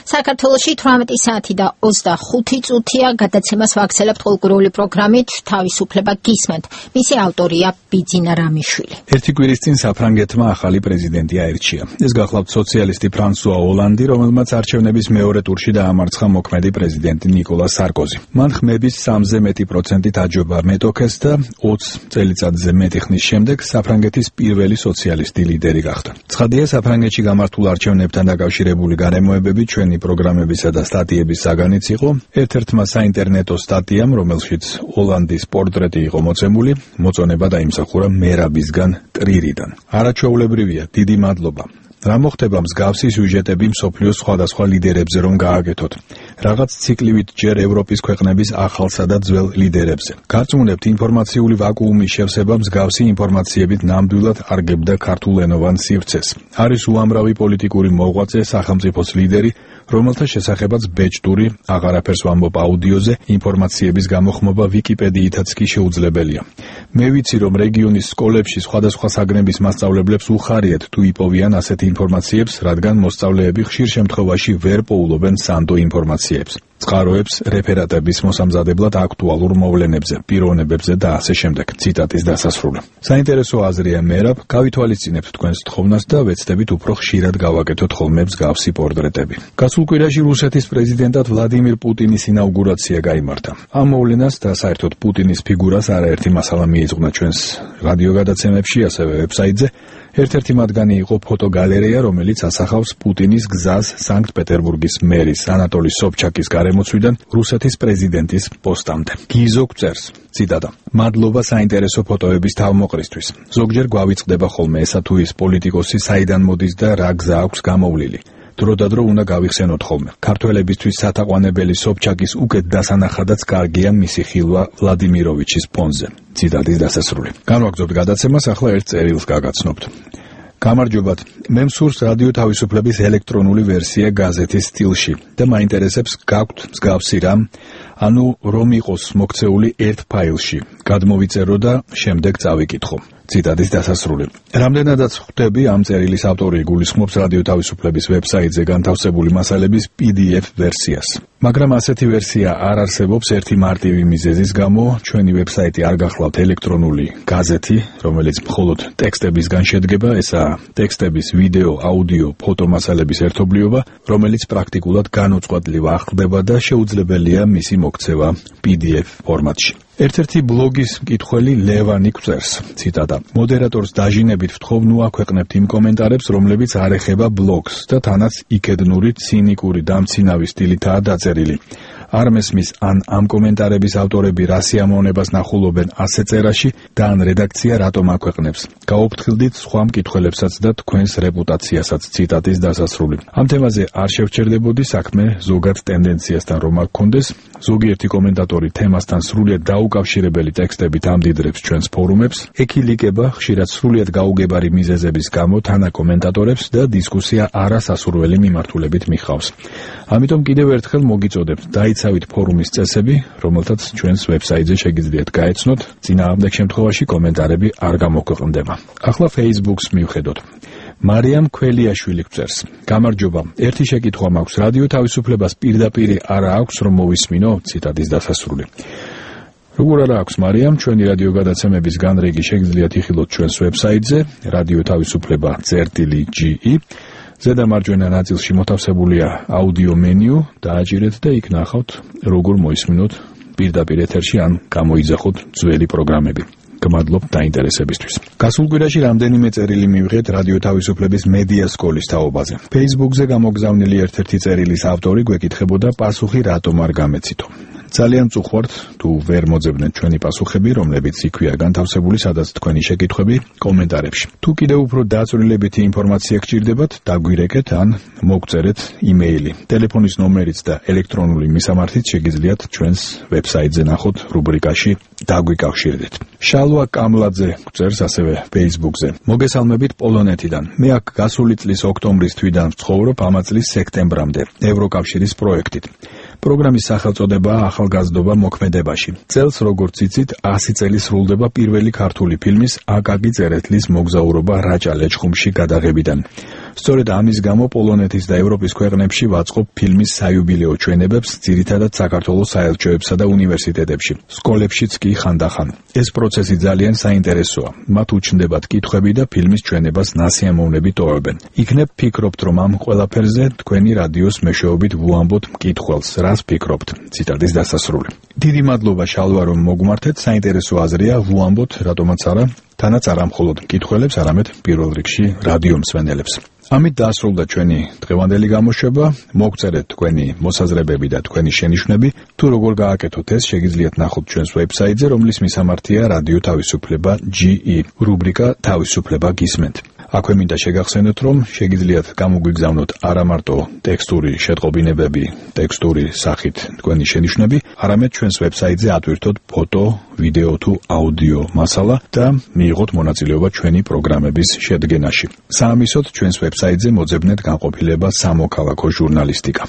საქართველოში 18 საათი და 25 წუთია გადაცემას ვაქცელებთ კულტურული პროგრამით თავისუფლება გისმენთ. მისი ავტორია ბიძინა რამიშვილი. ერთი კვირის წინ საფრანგეთმა ახალი პრეზიდენტი აირჩია. ეს გახლავთ სოციალისტი ფრანსუა ოლანდი, რომელმაც არჩევნების მეორე ტურში დაამარცხა მოქმედი პრეზიდენტი ნიკოლა სარკოზი. მან ხმების 3-ზე მეტი პროცენტით აჯობა მეტოქეს და 20 წელიწადზე მეტი ხნის შემდეგ საფრანგეთის პირველი სოციალისტი ლიდერი გახდა. ცხადია, საფრანგეთში გამართულ არჩევნებთან დაკავშირებული გარემოებები ჩვენი პროგრამებისა და სტატიების საგანიც იყო. ერთ-ერთმა საინტერნეტო სტატიამ, რომელშიც ოლანდის პორტრეტი იყო მოცემული, მოწონება დაიმსახურა მერაბისგან ტრირიდან. არაჩვეულებრივია, დიდი მადლობა. რა მოხდება მსგავსი სიუჟეტები მსოფლიოს სხვადასხვა ლიდერებზე რომ გააკეთოთ? რაღაც ციკლივით ჯერ ევროპის ქვეყნების ახალსა და ძველ ლიდერებზე. გარწმუნებთ, ინფორმაციული ვაკუუმის შევსება მსგავსი ინფორმაციებით ნამდვილად არგებდა ქართულენოვან სივრცეს. არის უამრავი პოლიტიკური მოღვაწე, სახელმწიფოს ლიდერი, რომელთა შესახებაც ბეჭდური, აღარაფერს ვამბობ აუდიოზე, ინფორმაციების გამოხმობა ვიკიპედიითაც კი შეუძლებელია. მე ვიცი, რომ რეგიონის სკოლებში სხვადასხვა საგნების მასწავლებლებს უხარიათ თუ იპოვიან ასეთ ინფორმაციებს, რადგან მოსწავლეები ხშირ შემთხვევაში ვერ პოულობენ სანდო ინფორმაციებს, წყაროებს, რეფერატების მოსამზადებლად აქტუალურ მოვლენებზე, პიროვნებებზე და ასე შემდეგ. ციტატის დასასრული. საინტერესო აზრია მერაბ, გავითვალისწინებთ თქვენს თხოვნას და ვეცდებით უფრო ხშირად გავაკეთოთ ხოლმე მსგავსი პორტრეტები. გასულ კვირაში რუსეთის პრეზიდენტად ვლადიმირ პუტინის ინაუგურაცია გაიმართა. ამ მოვლენას და საერთოდ პუტინის ფიგურას არაერთი მასალა მიეძღვნა ჩვენს რადიოგადაცემებში, ასევე ვებსაიტზე. ერთ-ერთი მათგანი იყო ფოტოგალერეა, რომელიც ასახავს პუტინის გზას სანქტ-პეტერბურგის მერის ანატოლი სობჩაკის გარემოცვიდან რუსეთის პრეზიდენტის პოსტამდე. გიზო გვწერს, ციტატა: მადლობა საინტერესო ფოტოების თავმოყრისთვის. ზოგჯერ გვავიწყდება ხოლმე ესა თუ ის პოლიტიკოსი საიდან მოდის და რა გზა აქვს გამოვლილი. დრო-და-დრო უნდა გავიხსენოთ ხოლმე. ქართველებისთვის სათაყვანებელი სობჩაკის უკეთ დასანახადაც კარგია მისი ხილვა ვლადიმიროვიჩის ფონზე. ციტატის დასასრული. განვაგრძობთ გადაცემას, ახლა ერთ წერილს გაგაცნობთ. გამარჯობათ, მე მსურს რადიო თავისუფლების ელექტრონული ვერსია გაზეთის სტილში და მაინტერესებს გაქვთ მსგავსი რამ, ანუ რომ იყოს მოქცეული ერთ ფაილში. გადმოვიწერო და შემდეგ წავიკითხო. ციტატის დასასრული. რამდენადაც ხვდები, ამ წერილის ავტორი გულისხმობს რადიო თავისუფლების ვებსაიტზე განთავსებული მასალების PDF ვერსიას. მაგრამ ასეთი ვერსია არ არსებობს ერთი მარტივი მიზეზის გამო. ჩვენი ვებსაიტი არ გახლავთ ელექტრონული გაზეთი, რომელიც მხოლოდ ტექსტებისგან შედგება, ესაა ტექსტების, ვიდეო, აუდიო, ფოტო მასალების ერთობლიობა, რომელიც პრაქტიკულად განუწყვეტლივ ახლდება და შეუძლებელია მისი მოქცევა PDF ფორმატში. ერთ-ერთი ბლოგის მკითხველი ლევანი გვწერს, ციტატა: მოდერატორს დაჟინებით ვთხოვ, ნუ აქვეყნებთ იმ კომენტარებს, რომლებიც არ ეხება ბლოგს და თანაც იქედნური, ცინიკური, დამცინავი სტილითაა დაწერილი. არ მესმის, ან ამ კომენტარების ავტორები რა სიამოვნებას ნახულობენ ასე წერაში და ან რედაქცია რატომ აქვეყნებს. გაუფრთხილდით სხვა მკითხველებსაც და თქვენს რეპუტაციასაც. ციტატის დასასრული. ამ თემაზე არ შევჩერდებოდი, საქმე ზოგად ტენდენციასთან რომ აქ გქონდეს. ზოგიერთი კომენტატორი თემასთან სრულიად დაუკავშირებელი ტექსტებით ამდიდრებს ჩვენს ფორუმებს, ეკილიკება ხშირად სრულიად გაუგებარი მიზეზების გამო თანა კომენტატორებს და დისკუსია არასასურველი მიმართულებით მიხავს. ამიტომ კიდევ ერთხელ მოგიწოდებთ, დაიცავით ფორუმის წესები, რომელთაც ჩვენს ვებსაიტზე შეგიძლიათ გაეცნოთ, წინააღმდეგ შემთხვევაში კომენტარები არ გამოქვეყნდება. ახლა Facebook-ს მივხედოთ. მარიამ ქველიაშვილი გვწერს: გამარჯობა, ერთი შეკითხვა მაქვს, რადიო თავისუფლებას პირდაპირ არა აქვს რომ მოვისმინო? ციტატის დასასრული. როგორ არა აქვს, მარიამ, ჩვენი რადიო გადაცემების განრიგი შეგიძლიათ იხილოთ ჩვენს ვებსაიტზე რადიო თავისუფლება წერტილი.ge. ზედა მარჯვენა ნაწილში მოთავსებულია აუდიო მენიუ, დააჭირეთ და იქ ნახავთ, როგორ მოისმინოთ პირდაპირ ეთერში ან გამოიძახოთ ძველი პროგრამები. გმადლობთ დაინტერესებისთვის. გასულ კვირაში რამდენიმე წერილი მივიღეთ რადიო თავისუფლების მედია სკოლის თაობაზე. Facebook-ზე გამოგზავნილი ერთ-ერთი წერილის ავტორი გვეკითხებოდა, პასუხი რატომ არ გამეცითო. ძალიან წუხوارთ თუ ვერ მოძებნეთ ჩვენი პასუხები, რომლებიც იქვეა განთავსებული, სადაც თქვენი შეკითხვები კომენტარებში. თუ კიდევ უფრო დაწვრილებითი ინფორმაცია გჭირდებათ, დაგვირეკეთ ან მოგწერეთ იმეილი. ტელეფონის ნომერიც და ელექტრონული მისამართიც შეგიძლიათ ჩვენს ვებსაიტზე ნახოთ რუბრიკაში დაგვიკავშირდეთ. შალვა კამლაძე გვწერს ასევე Facebook-ზე. მოგესალმებით პოლონეთიდან. მე აქ გასული წლის ოქტომბრის თვიდან ვცხოვრობ ამა წლის სექტემბრამდე ევროკავშირის პროექტით. პროგრამის სახელწოდებაა ახალგაზრდობა მოქმედებაში. წელს, როგორც იცით, 100 წელი სრულდება პირველი ქართული ფილმის აკაკი წერეთლის მოგზაურობა რაჭა-ლეჩხუმში გადაღებიდან. სწორედ ამის გამო პოლონეთის და ევროპის ქვეყნებში ვაწყობ ფილმის საიუბილეო ჩვენებებს, ძირითადად საქართველოს საელჩოებსა და უნივერსიტეტებში, სკოლებშიც კი ხანდახან. ეს პროცესი ძალიან საინტერესოა. მათ უჩნდებათ კითხვები და ფილმის ჩვენებას ნასიამოვნებით ტოვებენ. იქნებ ფიქრობთ, რომ ამ ყველაფერზე თქვენი რადიოს მეშვეობით ვუამბოთ მკითხველს, რას ფიქრობთ. ციტატის დასასრული. დიდი მადლობა შალვა, რომ მოგმართეთ. საინტერესო აზრია, ვუამბოთ, რატომაც არა, თანაც არა მხოლოდ მკითხველებს, არამედ პირველ რიგში რადიო მსმენელებს. ამით დაასრულდა ჩვენი დღევანდელი გამოშვება. მოგწერეთ თქვენი მოსაზრებები და თქვენი შენიშვნები. თუ როგორ გააკეთოთ ეს, შეგიძლიათ ნახოთ ჩვენს ვებსაიტზე, რომლის მისამართია რადიო თავისუფლება GE, რუბრიკა თავისუფლება გისმენთ. აქვე მინდა შეგახსენოთ, რომ შეგიძლიათ გამოგვიგზავნოთ არა მარტო ტექსტური შეტყობინებები, ტექსტური სახით თქვენი შენიშვნები, არამედ ჩვენს ვებსაიტზე ატვირთოთ ფოტო, ვიდეო თუ აუდიო მასალა და მიიღოთ მონაწილეობა ჩვენი პროგრამების შედგენაში. საამისოდ ჩვენს ვებსაიტზე მოძებნეთ განყოფილება სამოქალაქო ჟურნალისტიკა.